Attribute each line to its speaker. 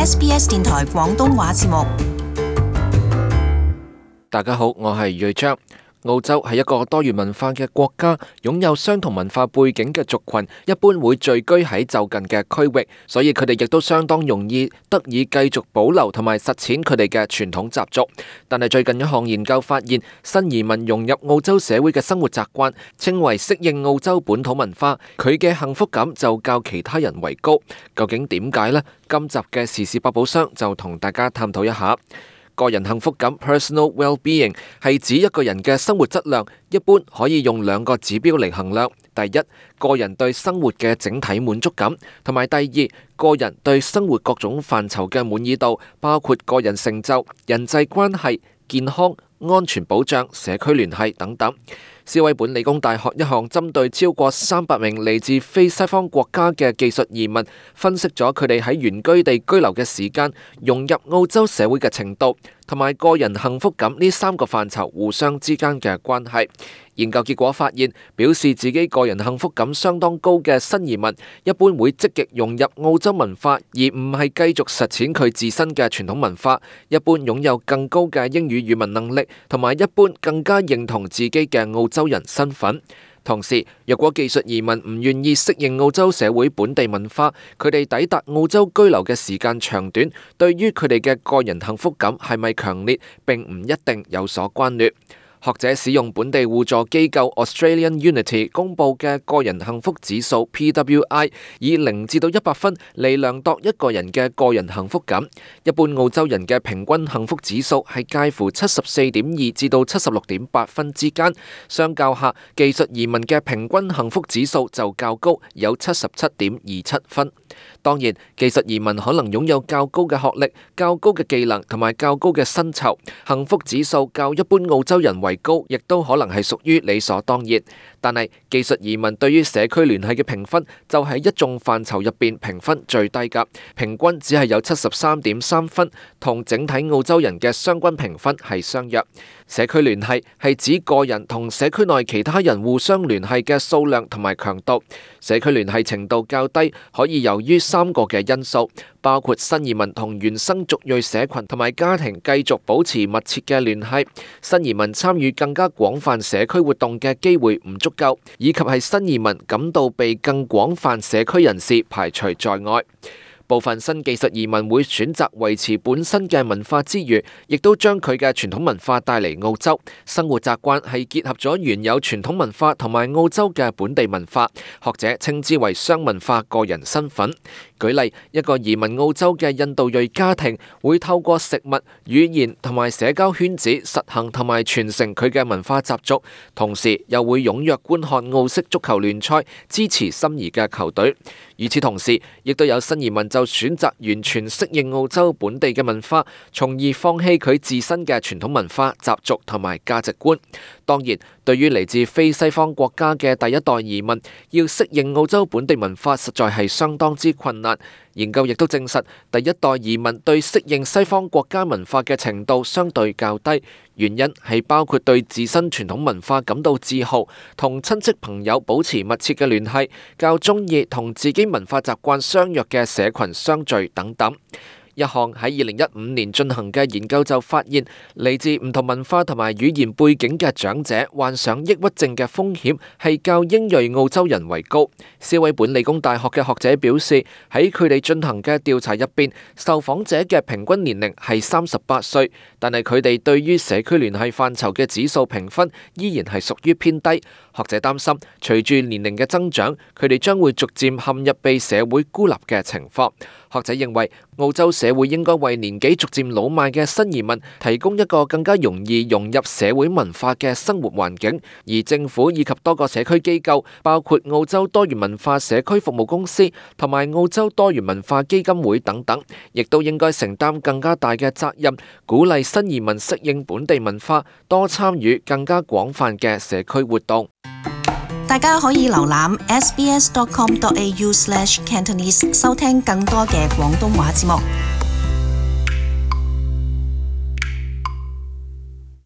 Speaker 1: SBS 電台廣東話節目。
Speaker 2: 大家好，我係瑞章。澳洲係一個多元文化嘅國家，擁有相同文化背景嘅族群一般會聚居喺就近嘅區域，所以佢哋亦都相當容易得以繼續保留同埋實踐佢哋嘅傳統習俗。但係最近一項研究發現，新移民融入澳洲社會嘅生活習慣，稱為適應澳洲本土文化，佢嘅幸福感就較其他人為高。究竟點解呢？今集嘅時事百寶箱就同大家探討一下。個人幸福感 （personal well-being） 係指一個人嘅生活質量，一般可以用兩個指標嚟衡量。第一，個人對生活嘅整體滿足感，同埋第二，個人對生活各種範疇嘅滿意度，包括個人成就、人際關係、健康、安全保障、社區聯繫等等。斯威本理工大學一項針對超過300名嚟自非西方國家嘅技術移民，分析咗佢哋喺原居地居留嘅時間、融入澳洲社會嘅程度，同埋個人幸福感呢3個範疇互相之間嘅關係。研究結果發現，表示自己個人幸福感相當高嘅新移民，一般會積極融入澳洲文化，而唔係繼續實踐佢自身嘅傳統文化。一般擁有更高嘅英語語文能力，同埋一般更加認同自己嘅澳洲人身份。同時，若果技術移民唔願意適應澳洲社會本地文化，佢哋抵達澳洲居留嘅時間長短，對於佢哋嘅個人幸福感係咪強烈，並唔一定有所關聯。學者使用本地互助機構 Australian Unity 公佈嘅個人幸福指數 PWI， 以0至到100分嚟量度一個人嘅個人幸福感。一般澳洲人嘅平均幸福指數係介乎74.2至到76.8分之間，相較下，技術移民嘅平均幸福指數就較高，有77.27分。當然，技術移民可能擁有較高嘅學歷、較高嘅技能同埋較高嘅薪酬，幸福指數較一般澳洲人為高，亦都可能係屬於理所當然。但係技術移民對於社區聯繫嘅評分就係一眾範疇入邊評分最低㗎，平均只係有73.3分，同整體澳洲人嘅相均評分係相若。社區聯繫係指個人同社區內其他人互相聯繫嘅數量同埋強度。社區聯繫程度較低，可以由於3個嘅因素，包括新移民同原生族裔社群同埋家庭繼續保持密切嘅聯繫，新移民參與更加廣泛社區活動嘅機會唔足夠，以及係新移民感到被更廣泛社區人士排除在外。部分新技術移民會選擇維持本身嘅文化之餘，亦都將佢嘅傳統文化帶嚟澳洲。生活習慣係結合咗原有傳統文化同埋澳洲嘅本地文化，學者稱之為雙文化個人身份。舉例，一個移民澳洲嘅印度裔家庭會透過食物、語言同埋社交圈子實行同埋傳承佢嘅文化習俗，同時又會踴躍觀看澳式足球聯賽，支持心儀嘅球隊。與此同時，亦都有新移民就選擇完全適應澳洲本地嘅文化，從而放棄佢自身嘅傳統文化、習俗同埋價值觀。當然，對於嚟自非西方國家嘅第一代移民，要適應澳洲本地文化實在係相當之困難。研究亦都證實，第一代移民對適應西方國家文化嘅程度相對較低，原因係包括對自身傳統文化感到自豪，同親戚朋友保持密切嘅聯繫，較鍾意同自己文化習慣相若嘅社群相聚等等。一項喺2015年進行嘅研究就發現，嚟自唔同文化同埋語言背景嘅長者患上抑鬱症嘅風險係較英裔澳洲人為高。斯威本理工大學嘅學者表示，喺佢哋進行嘅調查入邊，受訪者嘅平均年齡係38歲，但係佢哋對於社區聯繫範疇嘅指數評分依然係屬於偏低。學者擔心，隨住年齡嘅增長，佢哋將會逐漸陷入被社會孤立嘅情況。學者認為，澳洲社會應該為年紀逐漸老邁嘅新移民提供一個更加容易融入社會文化嘅生活環境，而政府以及多個社區機構，包括澳洲多元文化社區服務公司同埋澳洲多元文化基金會等等，亦都應該承擔更加大嘅責任，鼓勵新移民適應本地文化，多參與更加廣泛嘅社區活動。
Speaker 1: 大家可以瀏覽 sbs.com.au/cantonese 收聽更多嘅廣東話節目。